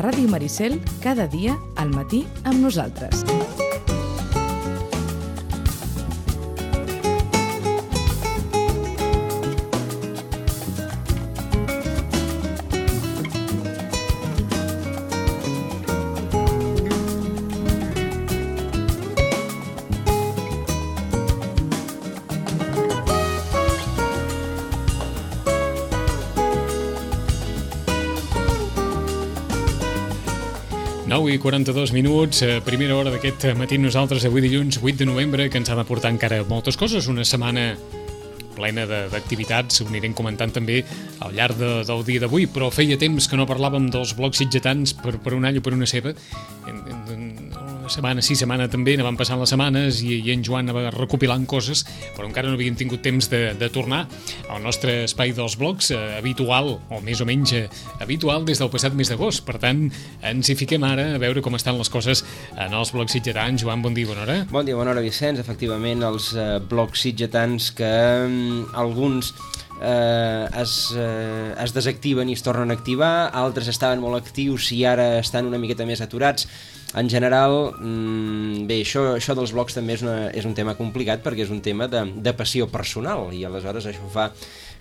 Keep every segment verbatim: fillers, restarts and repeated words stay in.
Ràdio Maricel, cada dia al matí amb nosaltres. nou i quaranta-dos minuts, primera hora d'aquest matí nosaltres, avui dilluns vuit de novembre, que ens ha de portar encara moltes coses, una setmana plena d'activitats, ho anirem comentant també al llarg de, del dia d'avui, però feia temps que no parlàvem dels blocs sitgetans per, per un all o per una ceba. En, en, una setmana sí, setmana també, anaven passant les setmanes i, i en Joan anava recopilant coses, però encara no havíem tingut temps de, de tornar al nostre espai dels blocs eh, habitual, o més o menys eh, habitual des del passat mes d'agost. Per tant, ens hi fiquem ara a veure com estan les coses en els blocs sitgetans. Joan, bon dia, bona hora. Bon dia, bona hora, Vicenç. Efectivament, els eh, blocs sitgetans que eh, alguns eh, es, eh, es desactiven i es tornen a activar, altres estaven molt actius i ara estan una miqueta més aturats. En general, bé, això, això dels blogs també és, una, és un tema complicat perquè és un tema de, de passió personal i aleshores això fa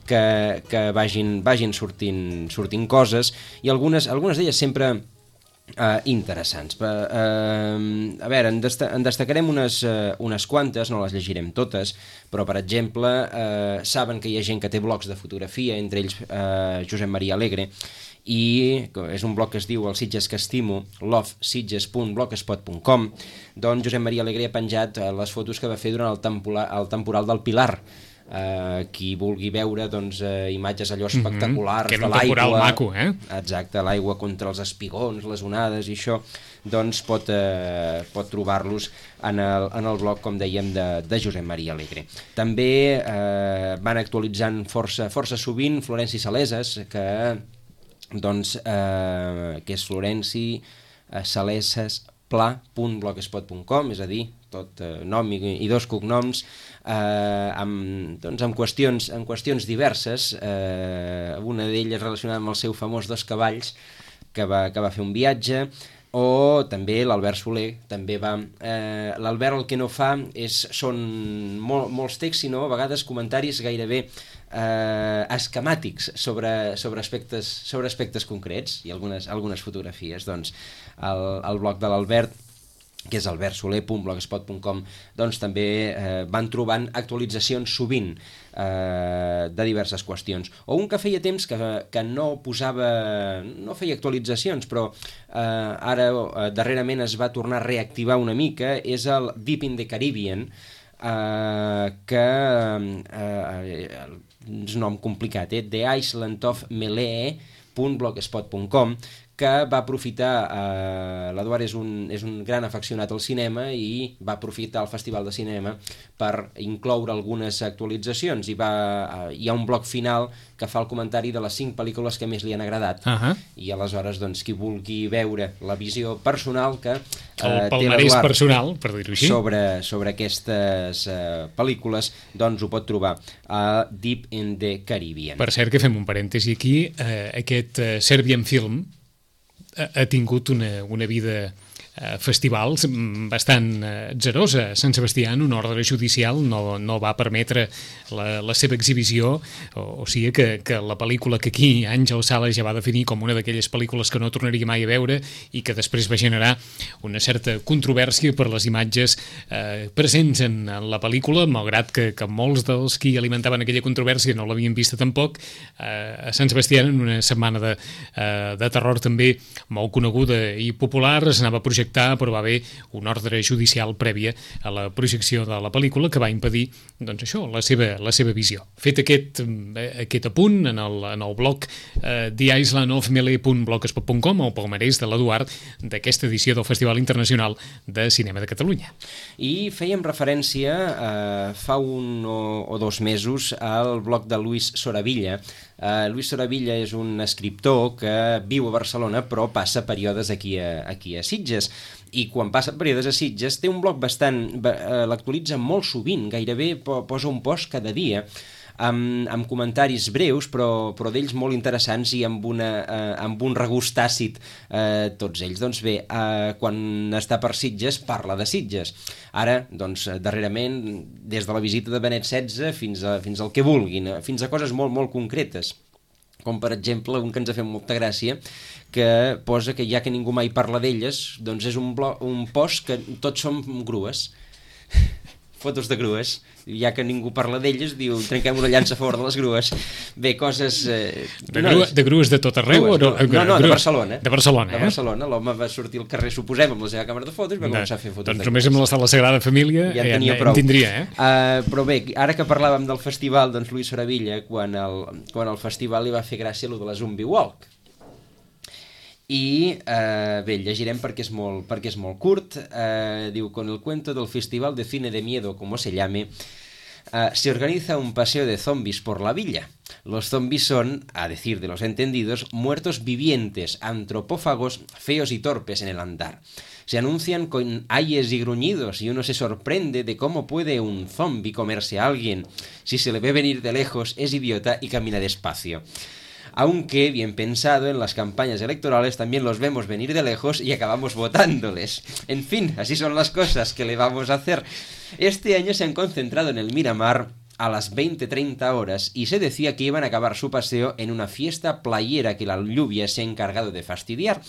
que, que vagin, vagin sortint, sortint coses i algunes, algunes d'elles sempre eh, interessants. Eh, a veure, en, desta, en destacarem unes, eh, unes quantes, no les llegirem totes, però per exemple, eh, saben que hi ha gent que té blogs de fotografia, entre ells eh, Josep Maria Alegre, i és un blog que es diu El Sitges que estimo, love sitges punt blogspot punt com. Doncs Josep Maria Alegre ha penjat les fotos que va fer durant el temporal, el temporal del Pilar. Uh, qui vulgui veure doncs, uh, imatges allò espectaculars, mm-hmm, de l'aigua, que era un temporal maco, eh? Exacte, l'aigua contra els espigons, les onades i això, doncs pot, uh, pot trobar-los en el, en el blog, com dèiem, de, de Josep Maria Alegre. També uh, van actualitzant força, força sovint Florenci Saleses, que doncs, eh, que és Florenci eh, Saleses pla punt blogspot punt com, és a dir, tot eh, nom i, i dos cognoms, eh, amb, doncs, amb, qüestions, amb qüestions diverses, eh, una d'elles relacionada amb el seu famós Dos Cavalls, que va, que va fer un viatge, o també l'Albert Soler, també va... Eh, L'Albert el que no fa és, són mol, molts texts, sinó a vegades comentaris gairebé eh, esquemàtics sobre, sobre, aspectes, sobre aspectes concrets i algunes, algunes fotografies. Doncs el, el blog de l'Albert, que és albert soler punt blogspot punt com, doncs també eh, van trobant actualitzacions sovint eh, de diverses qüestions. O un que feia temps que, que no posava, no feia actualitzacions, però eh, ara eh, darrerament es va tornar a reactivar una mica, és el Deep in the Caribbean, eh, que eh, és un nom complicat, eh? The Island of Melee punt blogspot punt com, que va aprofitar, eh, l'Eduard és un, és un gran afeccionat al cinema i va aprofitar el Festival de Cinema per incloure algunes actualitzacions i va, eh, hi ha un bloc final que fa el comentari de les cinc pel·lícules que més li han agradat. Uh-huh. I aleshores, doncs, qui vulgui veure la visió personal que eh, el palmarès personal, per dir-ho així, sobre, sobre aquestes eh, pel·lícules, doncs ho pot trobar a Deep in the Caribbean. Per cert, que fem un parèntesi aquí, eh, aquest eh, Serbian Film ha tingut una, una vida eh, festival bastant eh, atzerosa. Sant Sebastià, en un ordre judicial, no, no va permetre la, la seva exhibició, o, o sigui que, que la pel·lícula que aquí Àngel Sales ja va definir com una d'aquelles pel·lícules que no tornaria mai a veure i que després va generar una certa controvèrsia per les imatges eh, presents en, en la pel·lícula, malgrat que, que molts dels qui alimentaven aquella controvèrsia no l'havien vista tampoc. Eh, a Sant Sebastià, en una setmana de, eh, de terror també molt coneguda i popular, es anava a projectar, però va haver un ordre judicial prèvia a la projecció de la pel·lícula que va impedir, doncs això, la seva, la seva visió. Fet aquest, aquest apunt en el, en el blog eh, the island of melee punt blogspot punt com, el palmarès de l'Eduard d'aquesta edició del Festival Internacional de Cinema de Catalunya. I fèiem referència eh, fa un o, o dos mesos al blog de Luis Soravilla. Uh, Luis Soravilla és un escriptor que viu a Barcelona però passa períodes aquí a, aquí a Sitges, i quan passa períodes a Sitges té un blog bastant, uh, l'actualitza molt sovint, gairebé posa un post cada dia, amb, amb comentaris breus, però, però d'ells molt interessants i amb, una, eh, amb un regust tàcit eh, tots ells. Doncs bé, eh, quan està per Sitges, parla de Sitges. Ara, doncs, darrerament, des de la visita de Benet setze fins, a, fins al que vulguin, fins a coses molt, molt concretes, com per exemple un que ens ha fet molta gràcia, que posa que ja que ningú mai parla d'elles, doncs és un, blog, un post que tots som grues, fotos de grues, ja que ningú parla d'elles, diu, trenquem una llança a favor de les grues. Bé, coses... Eh, de, grua, de grues de tot arreu? Grues, o no, no, no, de Barcelona. De Barcelona, eh? De Barcelona, l'home va sortir al carrer, suposem, amb la seva càmera de fotos, i va començar a fer fotos. Doncs només amb la Sala Sagrada Família ja en, ja, en tindria, eh? Uh, però bé, ara que parlàvem del festival, doncs Luis Soravilla, quan el, quan el festival li va fer gràcia allò de la Zombie Walk. I eh, bé, llegirem perquè és molt, perquè és molt curt. Eh, diu, con el cuento del Festival de Cine de Miedo, como se llame, eh, se organiza un paseo de zombies por la villa. Los zombies son, a decir de los entendidos, muertos vivientes, antropófagos, feos y torpes en el andar. Se anuncian con ayes y gruñidos y uno se sorprende de cómo puede un zombie comerse a alguien. Si se le ve venir de lejos, es idiota y camina despacio. Aunque, bien pensado, en las campañas electorales también los vemos venir de lejos y acabamos votándoles. En fin, así son las cosas que le vamos a hacer. Este año se han concentrado en el Miramar a las veinte treinta horas y se decía que iban a acabar su paseo en una fiesta playera que la lluvia se ha encargado de fastidiar.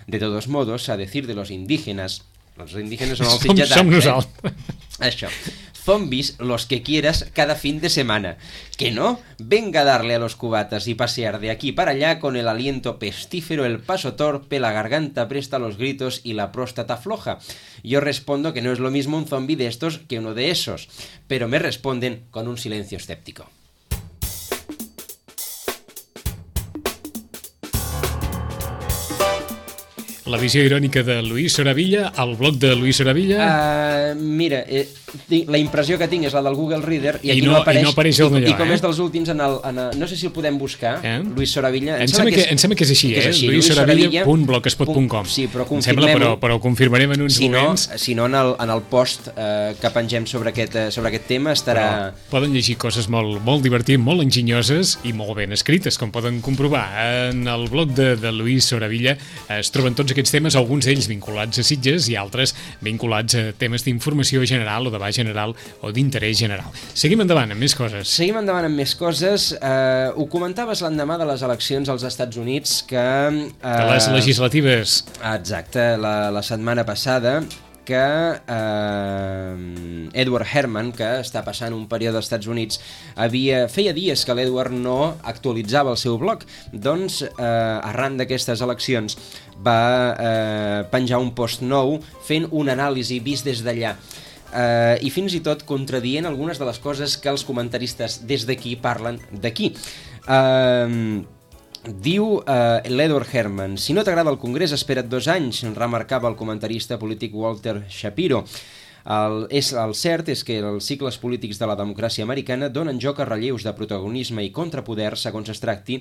De todos modos, a decir de los indígenas... Los indígenas son els sitgetats, som eh? nosaltres. Això. Zombies, los que quieras, cada fin de semana. ¿Que no? Venga a darle a los cubatas y pasear de aquí para allá con el aliento pestífero, el paso torpe, la garganta presta los gritos y la próstata floja. Yo respondo que no es lo mismo un zombie de estos que uno de esos, pero me responden con un silencio escéptico. La visió irònica de Luis Soravilla, el blog de Luis Soravilla... Uh, mira, eh, la impressió que tinc és la del Google Reader i aquí I no, no apareix, i no apareix el d'allò, i, i com eh? és dels últims en el, en el, no sé si el podem buscar, eh? Luis Soravilla em sembla que, que, és, que és així, eh? luis soravilla punt blogspot punt com. Sí, però confirmem-ho, però, però ho confirmarem en uns si moments. No, si no, en el, en el post eh, que pengem sobre aquest, eh, sobre aquest tema estarà... Però poden llegir coses molt, molt divertides, molt enginyoses i molt ben escrites, com poden comprovar. En el blog de, de Luis Soravilla es troben tots aquests temes, alguns d'ells vinculats a Sitges i altres vinculats a temes d'informació general o de baix general o d'interès general. Seguim endavant amb més coses. Seguim endavant amb més coses. Eh, ho comentaves l'endemà de les eleccions als Estats Units que... Eh, de les legislatives. Exacte, la, la setmana passada que eh, Edward Herman, que està passant un període als Estats Units, havia, feia dies que l'Edward no actualitzava el seu blog. Doncs, eh, arran d'aquestes eleccions, va eh, penjar un post nou fent una anàlisi vist des d'allà. Uh, i fins i tot contradient algunes de les coses que els comentaristes des d'aquí parlen d'aquí. Uh, diu uh, l'Edward Herman: si no t'agrada el Congrés, espera't dos anys, remarcava el comentarista polític Walter Shapiro. El, és, el cert és que els cicles polítics de la democràcia americana donen joc a relleus de protagonisme i contrapoder segons es tracti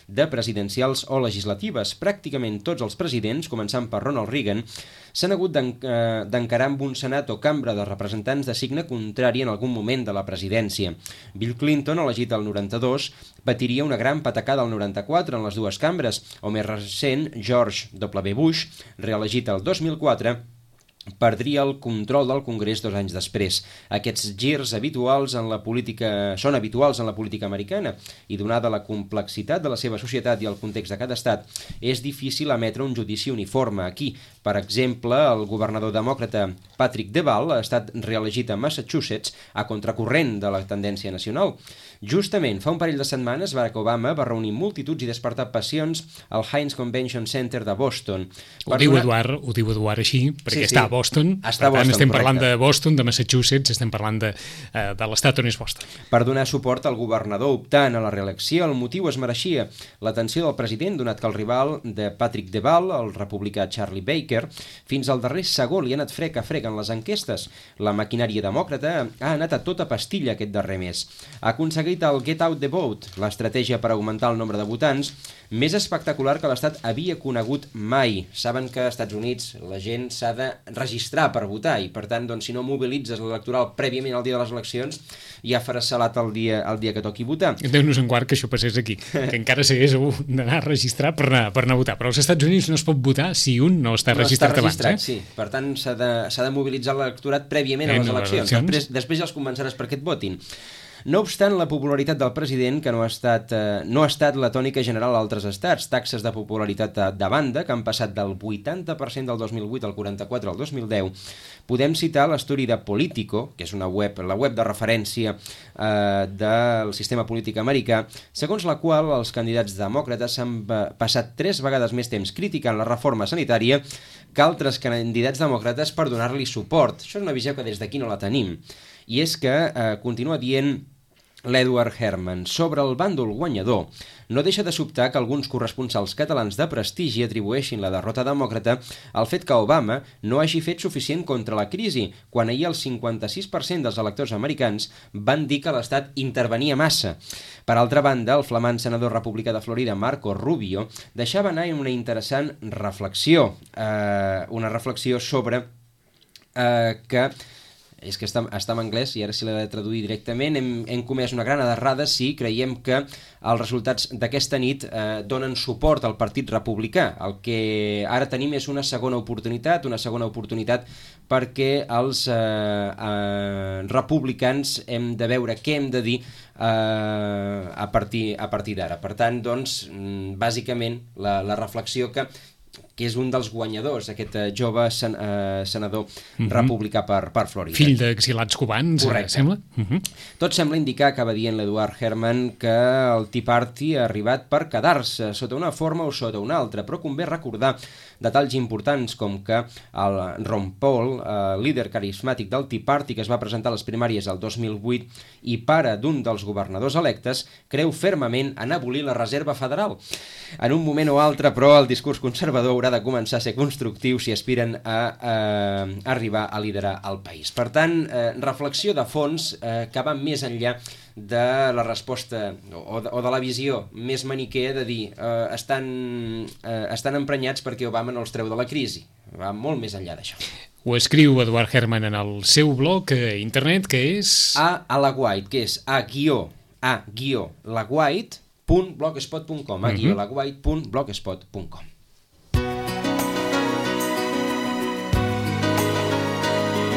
de presidencials o legislatives. Pràcticament tots els presidents, començant per Ronald Reagan, s'han hagut d'encarar amb un senat o cambra de representants de signe contrari en algun moment de la presidència. Bill Clinton, elegit al noranta-dos, patiria una gran patacada al noranta-quatre en les dues cambres, o més recent, George W. Bush, reelegit al dos mil quatre, perdria el control del Congrés dos anys després. Aquests girs habituals en la política són habituals en la política americana i, donada la complexitat de la seva societat i el context de cada estat, és difícil emetre un judici uniforme. Aquí, per exemple, el governador demòcrata Patrick Deval ha estat reelegit a Massachusetts a contracorrent de la tendència nacional. Justament, fa un parell de setmanes, Barack Obama va reunir multituds i despertar passions al Heinz Convention Center de Boston. Ho diu, una... Eduard, ho diu Eduard així, perquè sí, sí. està a Boston. Està per tant, Boston, estem correcte. parlant de Boston, de Massachusetts, estem parlant de, uh, de l'estat on és Boston. Per donar suport al governador optant a la reelecció, el motiu es mereixia l'atenció del president, donat que el rival de Patrick Deval, el republicà Charlie Baker, fins al darrer segó li ha anat frec a frec en les enquestes. La maquinària demòcrata ha anat a tota pastilla aquest darrer mes. Ha aconseguit dit el Get Out the Vote, l'estratègia per augmentar el nombre de votants, més espectacular que l'Estat havia conegut mai. Saben que als Estats Units la gent s'ha de registrar per votar i, per tant, doncs, si no mobilitzes l'electoral prèviament al dia de les eleccions, ja faràs salat el dia, el dia que toqui votar. Déu-nos en guard que això passés aquí, que encara s'hagués d'anar a registrar per anar, per anar a votar. Però als Estats Units no es pot votar si un no està no registrat, està registrat abans. Eh? Sí. Per tant, s'ha de, s'ha de mobilitzar l'electorat prèviament a les eleccions. Després, després ja els convenceràs perquè et votin. No obstant, la popularitat del president, que no ha estat, eh, no ha estat la tònica general a altres estats, taxes de popularitat de banda, que han passat del vuitanta per cent del dos mil vuit al quaranta-quatre al dos mil deu, podem citar l'estudi de Politico, que és una web, la web de referència eh, del sistema polític americà, segons la qual els candidats demòcrates han passat tres vegades més temps criticant la reforma sanitària que altres candidats demòcrates per donar-li suport. Això és una visió que des d'aquí no la tenim. I és que, eh, continua dient l'Edward Herman, sobre el bàndol guanyador, no deixa de sobtar que alguns corresponsals catalans de prestigi atribueixin la derrota demòcrata al fet que Obama no hagi fet suficient contra la crisi, quan ahir el cinquanta-sis per cent dels electors americans van dir que l'Estat intervenia massa. Per altra banda, el flamant senador republicà de Florida, Marco Rubio, deixava anar en una interessant reflexió, eh, una reflexió sobre eh, que és que està, està en anglès i ara si l'he de traduir directament, hem, hem comès una gran errada si creiem que els resultats d'aquesta nit eh, donen suport al Partit Republicà. El que ara tenim és una segona oportunitat, una segona oportunitat perquè els eh, eh, republicans hem de veure què hem de dir eh, a partir, a partir d'ara. Per tant, doncs, bàsicament, la, la reflexió que que és un dels guanyadors, aquest uh, jove sen, uh, senador uh-huh. republicà per, per Florida. Fill d'exilats cubans, correcte. Eh, sembla? Uh-huh. Tot sembla indicar, acaba dient l'Edward Herman, que el Tea Party ha arribat per quedar-se, sota una forma o sota una altra, però convé recordar detalls importants com que el Ron Paul, eh, líder carismàtic del Tea Party, que es va presentar a les primàries el dos mil vuit i pare d'un dels governadors electes, creu fermament en abolir la Reserva Federal. En un moment o altre, però, el discurs conservador haurà de començar a ser constructiu si aspiren a eh, arribar a liderar el país. Per tant, eh, reflexió de fons eh, que va més enllà de la resposta o de, o de la visió més maniquea de dir eh, estan, eh, estan emprenyats perquè Obama no els treu de la crisi. Va molt més enllà d'això. Ho escriu Edward Herman en el seu blog a internet, que és... A Alaguait, que és a guió, a guió, laguait punt blogspot punt com, a guió, laguait punt blogspot punt com.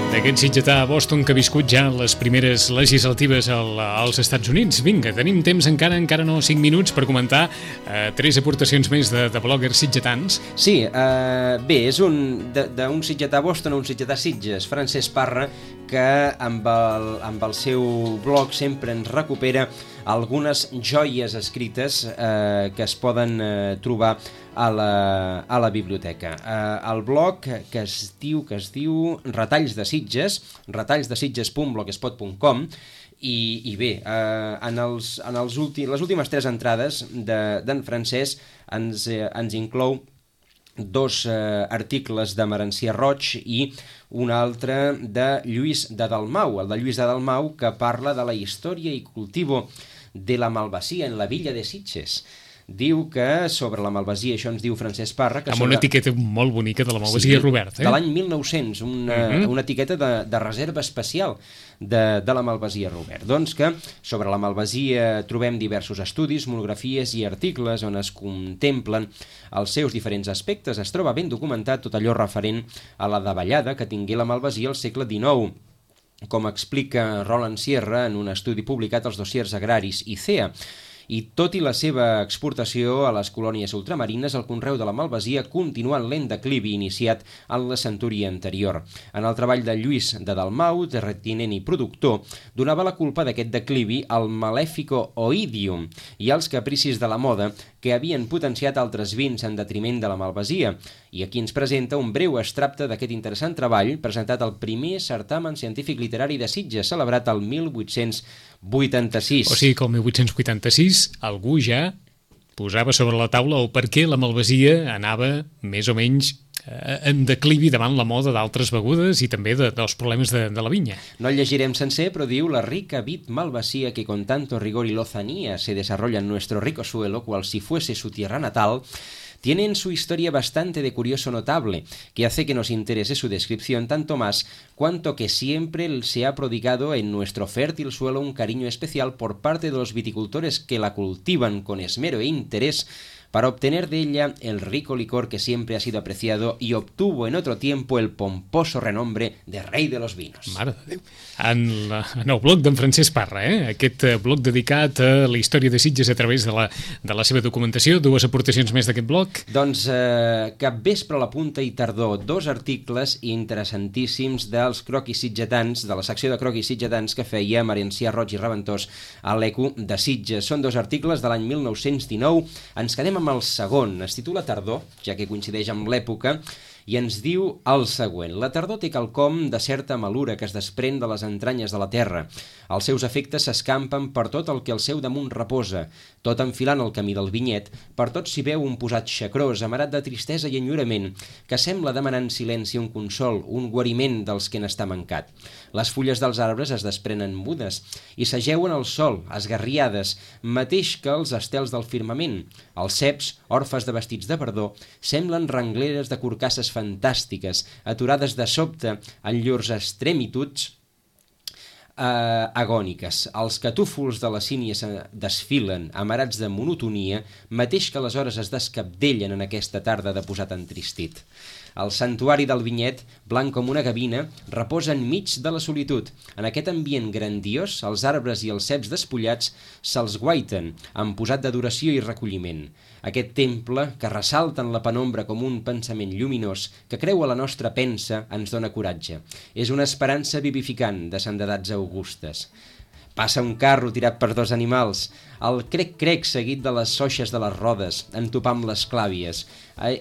D'aquest sitgetà a Boston que ha viscut ja les primeres legislatives al, als Estats Units. Vinga, tenim temps encara, encara no cinc minuts per comentar eh, tres aportacions més de, de bloggers sitgetans. Sí, eh, bé, és un d'un sitgetà a Boston a un sitgetà a Sitges, Francesc Parra, que amb el, amb el seu blog sempre ens recupera algunes joies escrites eh, que es poden eh, trobar a la, a la biblioteca. Eh, el blog que es diu que es diu Retalls de Sitges, retalls de sitges punt blogspot punt com, i, i bé, eh, en, els, en els últim, les últimes tres entrades de, d'en Francesc ens, eh, ens inclou dos eh, articles de Merencià Roig i un altre de Lluís de Dalmau, el de Lluís de Dalmau, que parla de la història i cultivo de la malvasia en la villa de Sitges. Diu que sobre la malvasia, això ens diu Francesc Parra... Que amb sobre... una etiqueta molt bonica de la malvasia, sí, Robert. Eh? De l'any mil nou-cents, una, uh-huh. una etiqueta de, de reserva especial de, de la malvasia, Robert. Doncs que sobre la malvasia trobem diversos estudis, monografies i articles on es contemplen els seus diferents aspectes. Es troba ben documentat tot allò referent a la davallada que tingué la malvasia al segle dinou, com explica Roland Sierra en un estudi publicat als dossiers agraris I C E A. I tot i la seva exportació a les colònies ultramarines, el conreu de la malvasia continua en lent declivi iniciat en la centúria anterior. En el treball de Lluís de Dalmau, terratinent i productor, donava la culpa d'aquest declivi al Malefico Oidium i als capricis de la moda que havien potenciat altres vins en detriment de la malvasia. I aquí ens presenta un breu extracte d'aquest interessant treball presentat al primer certamen científic literari de Sitges, celebrat el mil vuit-cents vuitanta-sis. O sigui que el mil vuit-cents vuitanta-sis algú ja posava sobre la taula o per què la malvasia anava més o menys eh, en declivi davant la moda d'altres begudes i també de, dels problemes de, de la vinya. No el llegirem sencer, però diu: la rica vid malvasía que con tanto rigor y lozanía se desarrolla en nuestro rico suelo, cual si fuese su tierra natal, tiene en su historia bastante de curioso notable, que hace que nos interese su descripción tanto más cuanto que siempre se ha prodigado en nuestro fértil suelo un cariño especial por parte de los viticultores que la cultivan con esmero e interés para obtener de ella el rico licor que siempre ha sido apreciado y obtuvo en otro tiempo el pomposo renombre de rei de los vinos. Mare de Déu. En, la, en el blog d'en Francesc Parra, eh? Aquest blog dedicat a la història de Sitges a través de la, de la seva documentació. Dues aportacions més d'aquest blog. Doncs eh, Capvespre, la punta i tardor, dos articles interessantíssims dels croquis sitgetans, de la secció de croquis sitgetans que feia Marencià Roig i Raventós a l'Eco de Sitges. Són dos articles de l'any mil nou-cents dinou. Ens quedem amb el segon, es titula Tardor, ja que coincideix amb l'època, i ens diu el següent: la tardor té quelcom de certa malura que es desprèn de les entranyes de la terra. Els seus efectes s'escampen per tot el que al seu damunt reposa. Tot enfilant el camí del vinyet, per tot s'hi veu un posat xacrós, amarat de tristesa i enyorament, que sembla demanar en silenci un consol, un guariment dels que n'està mancat. Les fulles dels arbres es desprenen mudes i s'ajeuen al sol, esgarriades, mateix que els estels del firmament. Els ceps, orfes de vestits de verdor, semblen rengleres de corcasses fantàstiques, aturades de sobte en llurs extremituds eh, agòniques. Els catúfols de la sínia desfilen, amarats de monotonia, mateix que les hores es descabdellen en aquesta tarda de posat entristit. El santuari del vinyet, blanc com una gavina, reposa enmig de la solitud. En aquest ambient grandiós, els arbres i els ceps despullats se'ls guaiten, amb posat d'adoració i recolliment. Aquest temple, que ressalta en la penombra com un pensament lluminós, que creu a la nostra pensa, ens dona coratge. És una esperança vivificant de sandedats augustes. Passa un carro tirat per dos animals, el crec-crec seguit de les soixes de les rodes, en topar amb les clàvies.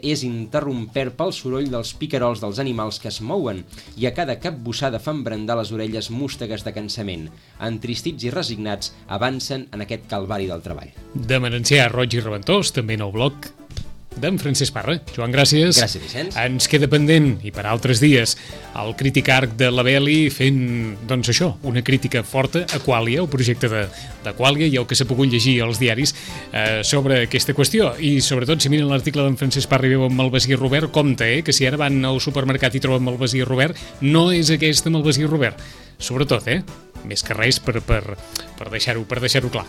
És interrompert pel soroll dels picarols dels animals que es mouen i a cada capbussada fan brandar les orelles mústegues de cansament. Entristits i resignats, avancen en aquest calvari del treball. De Marencià Roig i Raventós, també nou blog d'en Francesc Parra. Joan, gràcies. Gràcies, Vicenç. Ens queda pendent, i per altres dies, el crític arc de la Beli fent, doncs això, una crítica forta a Qualia, el projecte de, de Qualia, i el que s'ha pogut llegir als diaris eh, sobre aquesta qüestió. I sobretot, si miren l'article d'en Francesc Parra i veuen Malvasí Robert, compte, eh, que si ara van al supermercat i troben Malvasí Robert, no és aquesta Malvasí Robert. Sobretot, eh? Més que res per, per, per deixar-ho per deixar-ho clar.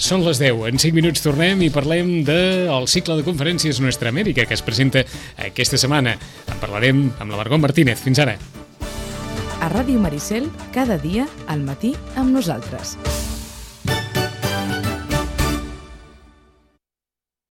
Són les deu, en cinc minuts tornem i parlem del cicle de conferències Nuestra Amèrica que es presenta aquesta setmana. En parlarem amb la Margot Martínez. Fins ara. A Ràdio Maricel, cada dia, al matí, amb nosaltres.